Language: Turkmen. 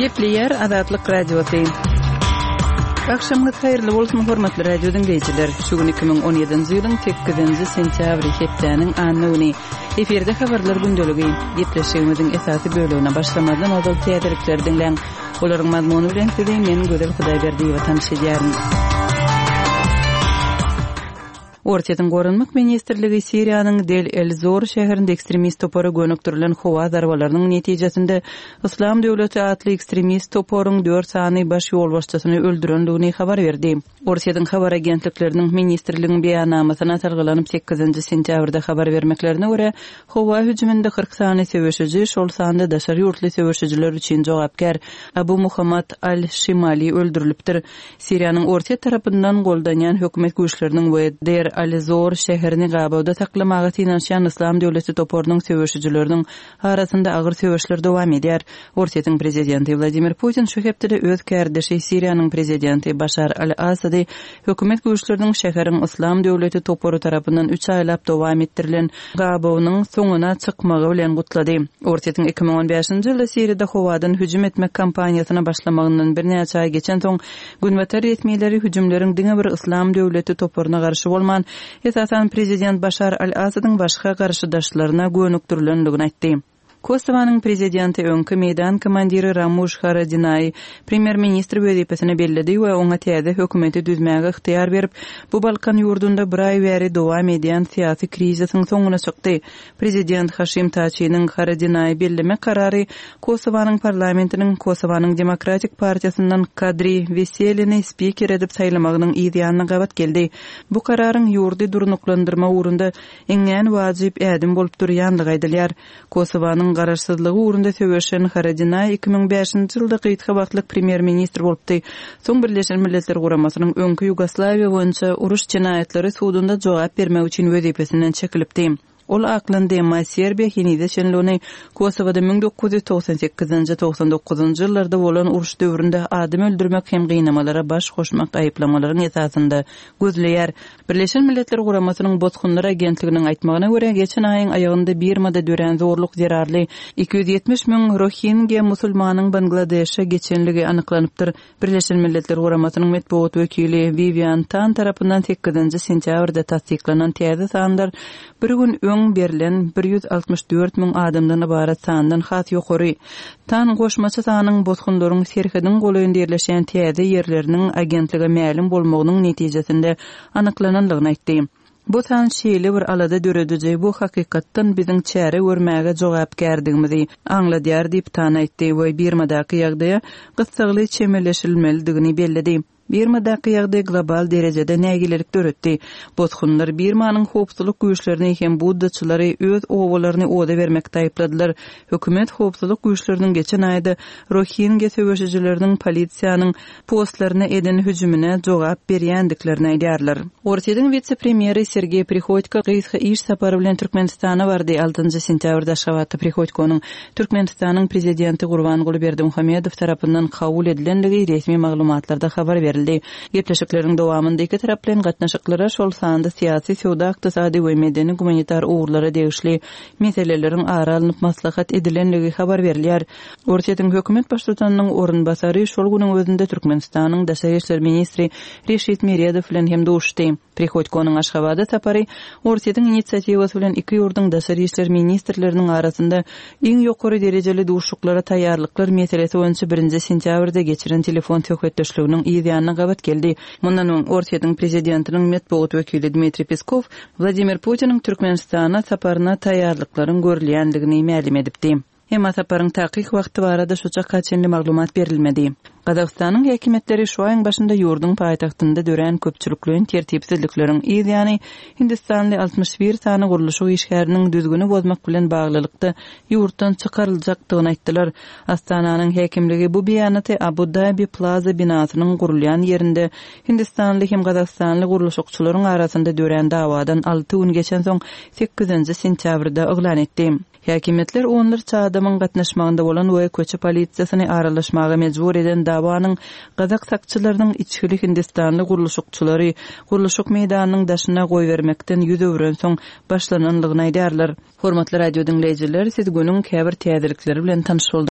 Gepleýär Azatlyk Radiosy. Agşamyňyz haýyrly bolsun, hormatly radio diňleýjiler! Şu gün 2017-nji ýylyň sekizinji sentýabry, hepdäniň anna güni. Efirde habarlar gündeligi. Gepleşigimiziň esasy bölegine başlamazdan ozal täzelikleri diňläň. Olaryň mazmuny bilen sizi men Gözel Hudaýberdiýewa tanyş edýärin. Orsýetiň Goranmak ministrligi Siriýanyň Del-el-Zor şäherinde ekstremist topara gönükdirilen howa zarbalarynyň netijesinde Yslam döwleti atly ekstremist toparyň dört sany baş ýolbaşçysyny öldürendigini habar berdi. Orsýetiň habar agentlikleriniň ministrligiň beýannamasyna salgylanyp sekizinji sentýabrda habar bermeklerine görä, howa hüjüminde 40 sany söweşiji, şol sanda daşary ýurtly söweşijiler üçin jogapkär Abu Muhammad al-Şimali öldürilipdir. Siriýanyň Orsýet tarapyndan goldanýan hökümet güýçleriniň we Deir al-Zor şäherini gabawda saklamaga synanyşýan Yslam döwleti toparynyň söweşijileriniň arasynda agyr söweşler dowam edýär. Orsýetiň prezidenti Wladimir Putin şu hepdede öz kärdeşi Siriýanyň prezidenti Başar al-Assady hökümet güýçleriniň şäheriň Yslam döwleti topary tarapyndan üç aýlap dowam etdirilen gabawynyň soňuna çykmagy bilen gutlady. Orsýetiň 2015-nji ýylda Siriýada howadan hüjüm etmek kampaniýasyna başlamagyndan birnäçe aý geçensoň, günbatar resmileri hüjümleriň diňe bir Yslam döwleti toparyna garşy bolman, esasan prezident Başar al-Assadyň başga garşydaşlaryna gönükdirilendigini aýtdy. Kosowanyň prezidenti öňki meýdan komandiri Ramuş Haradinaýy premýer-ministr wezipesine belledi we oňa täze hökümeti düzmäge ygtyýar berip, bu Balkan ýurdunda bir aý bäri dowam edýän syýasy krizisiň soňuna çykdy. Prezident Haşim Taçiniň Haradinaýy bellemek karary Kosowanyň parlamentiniň Kosowanyň Demokratik partiýasyndan Kadri Weselini spiker edip saýlamagynyň yz ýanyna gabat geldi. Bu kararyň ýurdy durnuklandyrmak ugrunda iňňän wajyp ädim bolup durýandygy aýdylýar. Kosowanyň garaşsyzlygy ugrunda söweşen Haradinaý 2005-nji ýylda gysga wagtlyk premýer-ministr bolupdy. Soň Birleşen Milletler Guramasynyň öňki Ýugoslawiýa boýunça uruş jenaýatlary sudunda jogap bermek üçin wezipesinden çekilipdi. Ol aklandy, emma Serbiýa henize çenli ony Kosowada 1998-nji, 99-njy ýyllarda bolan uruş döwründe adam öldürmek hem gynamalara baş goşmak aýyplamalaryň esasynda gözleýär. Birleşen Milletler Guramasynyň Bosgunlar agentliginiň aýtmagyna görä, geçen aýyň aýagynda Birmada dörän zorluk zerarly 270 müň rohingýa musulmanyň Bangladeşe geçenligi anyklanypdyr. Birleşen Milletler Guramasynyň metbugat wekili Wiwian Tan tarapyndan sekizinji sentýabrda tassyklanan täze sanlar bir gün öň berlen 164 müň adamdan ybarat sandan has ýokary. Tan goşmaça sanyň bosgunlaryň serhediň golaýynda ýerleşýän täze ýerleriniň agentlige mälim bolmagynyň netijesinde anyklanandygyny aýtdy. Bu san şeýle bir alada dörediji, bu hakykatdan biziň çäre görmäge jogapkärdigimizi aňladýar diýip, Tan aýtdy we Birmadaky ýagdaýa gyssagly çemeleşilmelidigini belledi. Birmadaky ýagdaý global derejede nägilelik döretdi. Bosgunlar Birmanyň howpsuzlyk güýçlerini hem buddaçylary öz obalaryny oda bermekde aýypladylar. Hökümet howpsuzlyk güýçleriniň geçen aýda rohingýa söweşijileriniň polisiýanyň postlaryna eden hüjümine jogap berýändiklerini aýdýarlar. Orsýetiň wise-premýeri Sergeý Prihodko gysga iş sapary bilen Türkmenistana bardy. Altynjy sentýabrda Aşgabatda Prihodkonyň Türkmenistanyň Prezidenti Gurbanguly Berdimuhamedow tarapyndan kabul edilendigi resmi maglumatlarda habar berildi. Gepleşikleriň dowamynda ikitaraplaýyn gatnaşyklara, şol sanda syýasy, söwda-ykdysady we medeni-gumanitar ugurlara degişli meseleleriň ara alnyp maslahat edilendigi habar berilýär. Orsýetiň hökümet baştutanynyň orunbasary şol günüň özünde Türkmenistanyň daşary işler ministri Reşit Meredow bilen hem duşuşdy. Prihodkonyň Aşgabada sapary Orsýetiň inisiatiwasy bilen iki ýurduň daşary işler ministrleriniň arasynda iň ýokary derejeli duşuşyklara taýýarlyklar meselesi boýunça birinji sentýabrda geçiren telefon söhbetdeşliginiň yz ýanyna gabat geldi. Mundan öň, Orsýetiň prezidentiniň metbugat wekili Dmitriý Peskow Wladimir Putiniň Türkmenistana saparyna taýýarlyklaryň görülýändigini mälim edipdi. Emma saparyň takyk wagty barada şu çaka çenli maglumat berilmedi. Gazagystanyň häkimiýetleri şu aýyň başynda ýurduň paýtagtynda dörän köpçülikleýin tertipsizlikleriň yz ýany hindistanly 61 sany gurluşyk işgäriniň düzgüni bozmak bilen baglylykda ýurtdan çykaryljakdygyny aýtdylar. Astananyň häkimligi bu beýanaty Abu-Dabi Plaza binasynyň gurulýan ýerinde hindistanly hem gazagystanly gurluşykçylaryň arasynda dörän dawadan alty gün geçensoň sekizinji sentýabrda yglan etdi. Häkimiýetler onlarça adamyň gatnaşmagynda bolan we köçe polisiýasyny aralaşmaga mejbur eden dawanyň gazak sakçylarynyň içgili hindistanly gurluşykçylary gurluşyk meýdanynyň daşyna goýbermekden ýüz öwrensoň başlananlygyny aýdýarlar. Hormatly radio diňleýjiler, siz günüň käbir täzelikleri bilen tanyş bolduňyz.